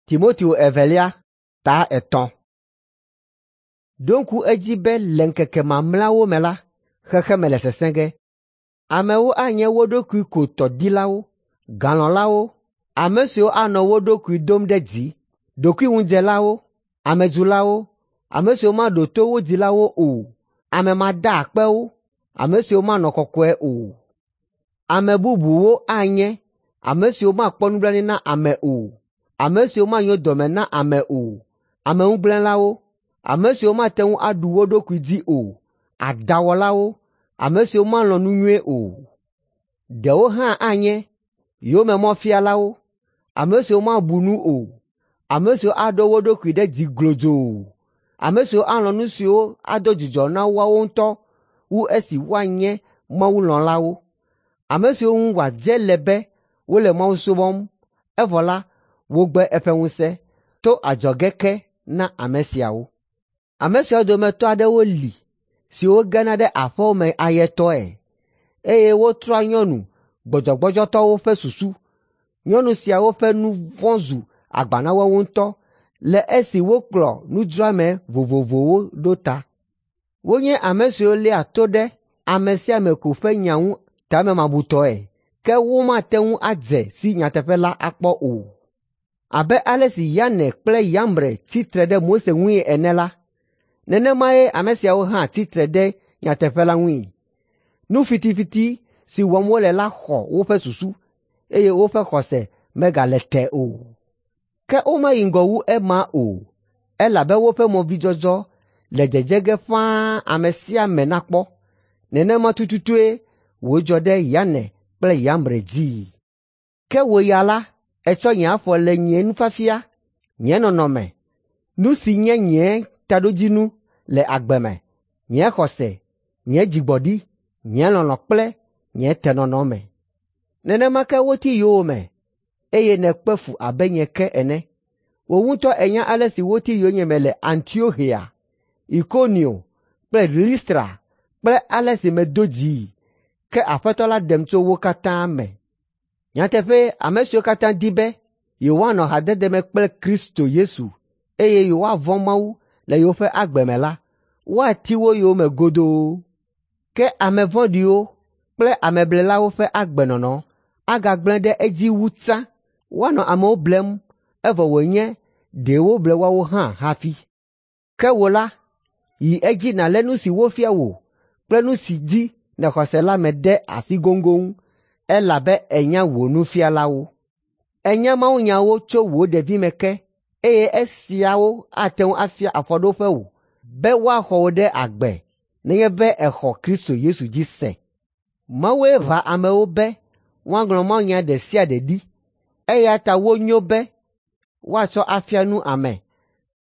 Timoteo evelia ta 3. Ɖo ŋku edzi be le ŋkeke mamlɛawo me la, xexeme le sesẽ ge. Amewo anye wo ɖokui ko tɔ dilawo, galɔ̃lawo, ame siwo anɔ wo ɖokui dom ɖe dzi, ɖokuiŋudzelawo, amedzulawo, ame siwo maɖo to wo dzilawo o, ame madaakpewo, ame siwo manɔ kɔkɔe o. Ame bubuwo anye ame siwo makpɔ nublanui na ame o, ame siwo manyo dɔme na ame o, ameŋugblẽlawo, ame siwo mate ŋu aɖu wo ɖokui dzi o, adãwɔlawo, ame siwo malɔ̃ nu nyui o. Ɖewo hã anye yomemɔfialawo, ame siwo mabu nu o, ame siwo aɖo wo ɖokui ɖe dzi glodzoo, ame siwo alɔ̃ nu siwo ado dzidzɔ na woawo ŋutɔ wu esi woanye mawulɔ̃lawo, ame siwo ŋu wòadze le be wole Mawu subɔm, evɔ la, wogbe eƒe ŋusẽ to adzɔge ke na ame siawo. Ame siawo dometɔ aɖewo li siwo gena ɖe aƒewo me ayetɔe, eye wotrɔa nyɔnu gbɔdzɔgbɔdzɔtɔwo ƒe susu. Nyɔnu siawo ƒe nu vɔ̃ zu agba na woawo ŋutɔ le esi wokplɔ nudzroame vovovowo ɖo ta. Wonye ame siwo léa to ɖe ame sia ame ko ƒe nya ŋu tamemabutɔe, ke womate ŋu adze si nyateƒe la akpɔ o. Abe ale si Yane kple Yambre tsi tre ɖe Mose ŋui ene la, nenemae ame siawo hã tsi tre ɖe nyateƒe la ŋui. Nu fitifiti si wɔm wole la xɔ woƒe susu, eye woƒe xɔse megale te o. Ke womayi ŋgɔ wu ema o, elabe woƒe movidzɔdzɔ le dzedze ge ƒãa ame sia ame nakpɔ. Nenema tututue wòdzɔ ɖe Yane kple Yambre dzii. Ke wò ya la, ètsɔ nye afɔ le nye nufiafia, nye nɔnɔme, nu si nye nye taɖodzinu le agbe me, nye xɔse, nye dzigbɔɖi, nye lɔlɔ̃ kple nye tenɔnɔ me. Nenema ke woti yowòme, eye nèkpe fu abe nye ke ene. Wò ŋutɔ ènya ale si woti yonyeme le Antioxia, Ikonio kple Listra kple ale si medo dzii, ke Aƒetɔ la ɖem tso wo katã me. Nyateƒee, ame siwo katã di be yewoanɔ hadede me kple Kristo Yesu eye yewoavɔ̃ Mawu le yewoƒe agbe me la, woati wo yome godoo. Ke ame vɔ̃ɖiwo kple ameblelawo ƒe agbenɔnɔ agagblẽ ɖe edzi wu tsã. Woanɔ amewo blem evɔ wònye ɖe woble woawo hã hafi. Ke wò la, yi edzi nàlé nu si wofia wò kple nu si dzi nèxɔ se la me ɖe asi goŋgoŋ, elabe ènya wò nufialawo. Ènya mawunyawo tso wò ɖevime ke, eye esiawo ate ŋu afia afɔɖoƒe wò be woaxɔ wò ɖe agbe nenye be èxɔ Kristo Yesu dzi se. Mawue ʋã amewo be woaŋlɔ mawunya ɖe sia ɖe ɖi, eya ta wonyo be woatsɔ afia nu ame,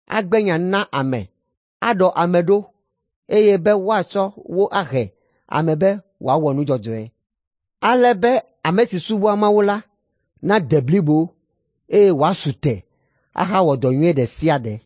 agbe nya na ame, aɖɔ ame ɖo, eye be woatsɔ wo ahe ame be wòawɔ nu dzɔdzɔe. Ale be ame si subɔa Mawu la nade blibo, eye wòasu te ahawɔ dɔ nyui ɖe sia ɖe.